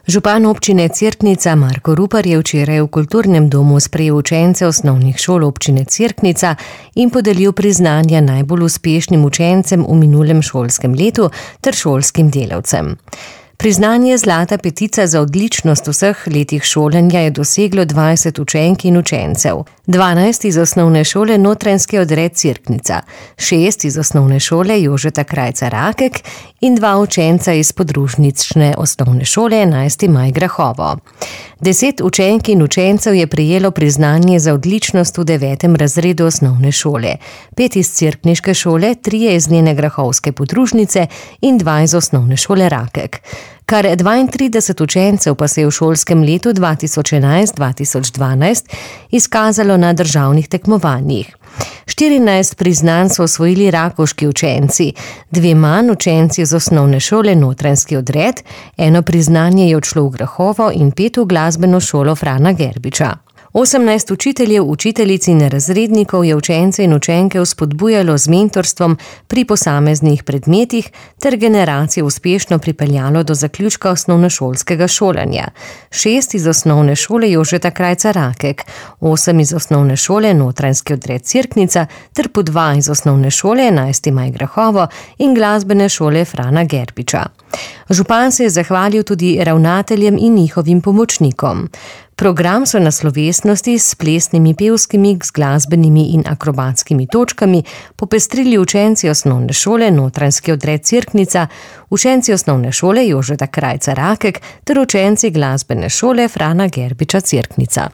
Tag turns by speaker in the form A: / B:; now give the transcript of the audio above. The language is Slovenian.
A: Župan občine Cerknica Marko Rupar je včeraj v kulturnem domu sprejel učence osnovnih šol občine Cerknica in podelil priznanja najbolj uspešnim učencem v minulem šolskem letu ter šolskim delavcem. Priznanje Zlata petica za odličnost v vseh letih šolanja je doseglo 20 učenk in učencev. 12 iz osnovne šole Notranjski odred Cerknica, 6 iz osnovne šole Jožeta Krajca Rakek in 2 učenca iz podružnične osnovne šole 11. maj Grahovo. 10 učenk in učencev je prejelo priznanje za odličnost v 9. razredu osnovne šole, 5 iz cerkniške šole, 3 iz njene grahovske podružnice in 2 iz osnovne šole Rakek. Kar 32 učencev pa se je v šolskem letu 2011-2012 izkazalo na državnih tekmovanjih. 14 priznanj so osvojili rakovški učenci, 2 manj učenci z osnovne šole Notranjski odred, 1 priznanje je odšlo v Grahovo in 5 v glasbeno šolo Frana Gerbiča. 18 učiteljev, učiteljic in razrednikov je učence in učenke vzpodbujalo z mentorstvom pri posameznih predmetih ter generacije uspešno pripeljalo do zaključka osnovnošolskega šolanja. 6 iz osnovne šole Jožeta Krajca Rakek, 8 iz osnovne šole Notranjski odred Cerknica ter po 2 iz osnovne šole 11. maj Grahovo in glasbene šole Frana Gerbiča. Župan se je zahvalil tudi ravnateljem in njihovim pomočnikom. Program so na slovesnosti s plesnimi, pevskimi, z glasbenimi in akrobatskimi točkami popestrili učenci osnovne šole Notranjski odred Cerknica, učenci osnovne šole Jožeta Krajca Rakek ter učenci glasbene šole Frana Gerbiča Cerknica.